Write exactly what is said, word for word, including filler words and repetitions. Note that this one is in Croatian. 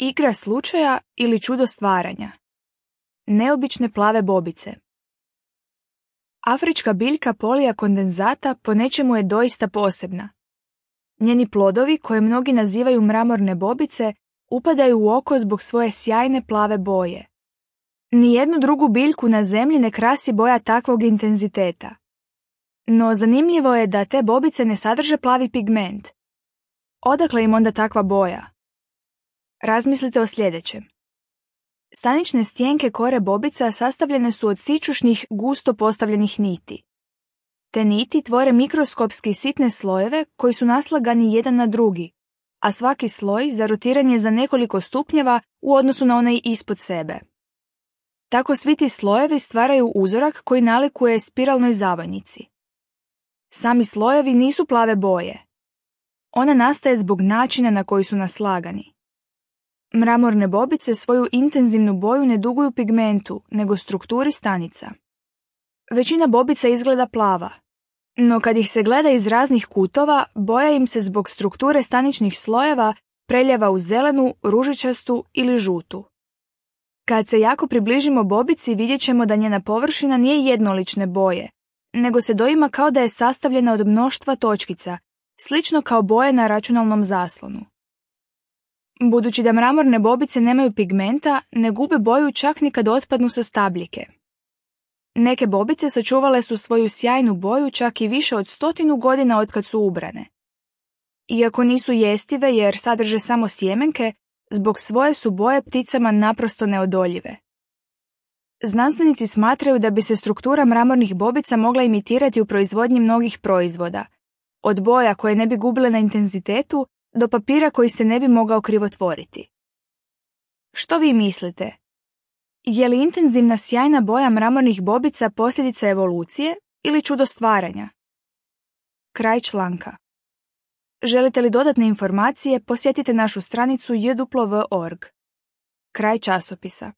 Igra slučaja ili čudo stvaranja. Neobične plave bobice. Afrička biljka Polija condensata po nečemu je doista posebna. Njeni plodovi, koje mnogi nazivaju mramorne bobice, upadaju u oko zbog svoje sjajne plave boje. Nijednu drugu biljku na zemlji ne krasi boja takvog intenziteta. No zanimljivo je da te bobice ne sadrže plavi pigment. Odakle im onda takva boja? Razmislite o sljedećem. Stanične stjenke kore bobica sastavljene su od sićušnih, gusto postavljenih niti. Te niti tvore mikroskopski sitne slojeve koji su naslagani jedan na drugi, a svaki sloj zarotiran je za nekoliko stupnjeva u odnosu na onaj ispod sebe. Tako svi ti slojevi stvaraju uzorak koji nalikuje spiralnoj zavojnici. Sami slojevi nisu plave boje. Ona nastaje zbog načina na koji su naslagani. Mramorne bobice svoju intenzivnu boju ne duguju pigmentu, nego strukturi stanica. Većina bobica izgleda plava, no kad ih se gleda iz raznih kutova, boja im se zbog strukture staničnih slojeva preljeva u zelenu, ružičastu ili žutu. Kad se jako približimo bobici, vidjet ćemo da njena površina nije jednolične boje, nego se doima kao da je sastavljena od mnoštva točkica, slično kao boje na računalnom zaslonu. Budući da mramorne bobice nemaju pigmenta, ne gube boju čak ni kad otpadnu sa stabljike. Neke bobice sačuvale su svoju sjajnu boju čak i više od stotinu godina otkad su ubrane. Iako nisu jestive jer sadrže samo sjemenke, zbog svoje su boje pticama naprosto neodoljive. Znanstvenici smatraju da bi se struktura mramornih bobica mogla imitirati u proizvodnji mnogih proizvoda, od boja koje ne bi gubile na intenzitetu do papira koji se ne bi mogao krivotvoriti. Što vi mislite? Je li intenzivna sjajna boja mramornih bobica posljedica evolucije ili čudo stvaranja? Kraj članka. Želite li dodatne informacije, posjetite našu stranicu j w w dot org. Kraj časopisa.